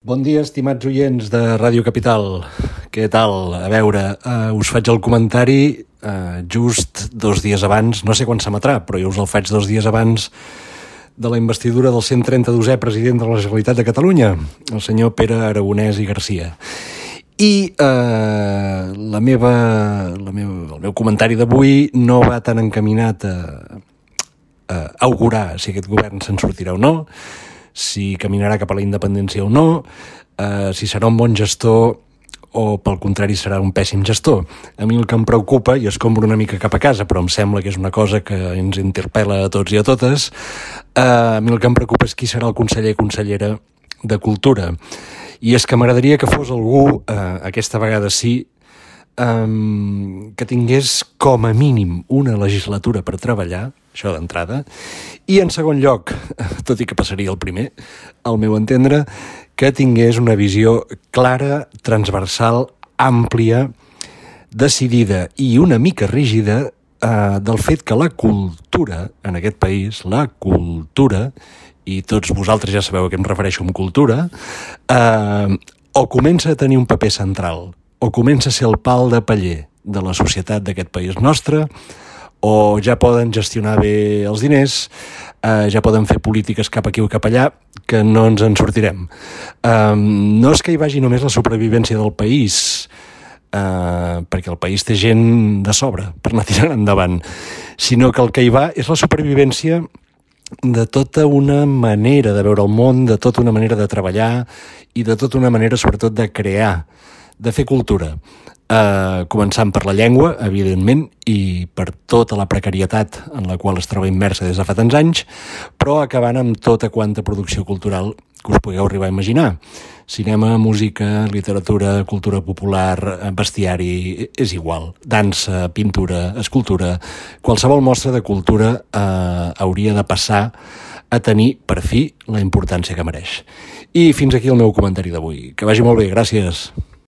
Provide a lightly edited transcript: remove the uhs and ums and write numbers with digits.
Bon dia, estimats oients de Ràdio Capital. Què tal? A veure, us faig el comentari just 2 dies abans, no sé quan s'emetrà, però jo us el faig 2 dies abans de la investidura del 132è president de la Generalitat de Catalunya, el senyor Pere Aragonès i Garcia. I el meu comentari d'avui no va tan encaminat a augurar si aquest govern se'n sortirà o no, si caminarà cap a la independència o no, si serà un bon gestor o, pel contrari, serà un pèssim gestor. A mi el que em preocupa, i escombro una mica cap a casa, però em sembla que és una cosa que ens interpel·la a tots i a totes, a mi el que em preocupa és qui serà el conseller o consellera de Cultura. I és que m'agradaria que fos algú, aquesta vegada sí, que tingués com a mínim una legislatura per treballar, això d'entrada, i en segon lloc, tot i que passaria el primer, al meu entendre, que tingués una visió clara, transversal, àmplia, decidida i una mica rígida del fet que la cultura en aquest país, la cultura, i tots vosaltres ja sabeu a què em refereixo amb cultura, o comença a tenir un paper central, o comença a ser el pal de paller de la societat d'aquest país nostre, o ja poden gestionar bé els diners, ja poden fer polítiques cap aquí o cap allà, que no ens en sortirem. No és que hi vagi només la supervivència del país, perquè el país té gent de sobre per anar tirant endavant, sinó que el que hi va és la supervivència de tota una manera de veure el món, de tota una manera de treballar i de tota una manera, sobretot, de crear, de fer cultura. Començant per la llengua, evidentment, i per tota la precarietat en la qual es troba immersa des de fa tants anys, però acabant amb tota quanta producció cultural que us pugueu arribar a imaginar. Cinema, música, literatura, cultura popular, bestiari, és igual. Dansa, pintura, escultura, qualsevol mostra de cultura hauria de passar a tenir, per fi, la importància que mereix. I fins aquí el meu comentari d'avui. Que vagi molt bé, gràcies.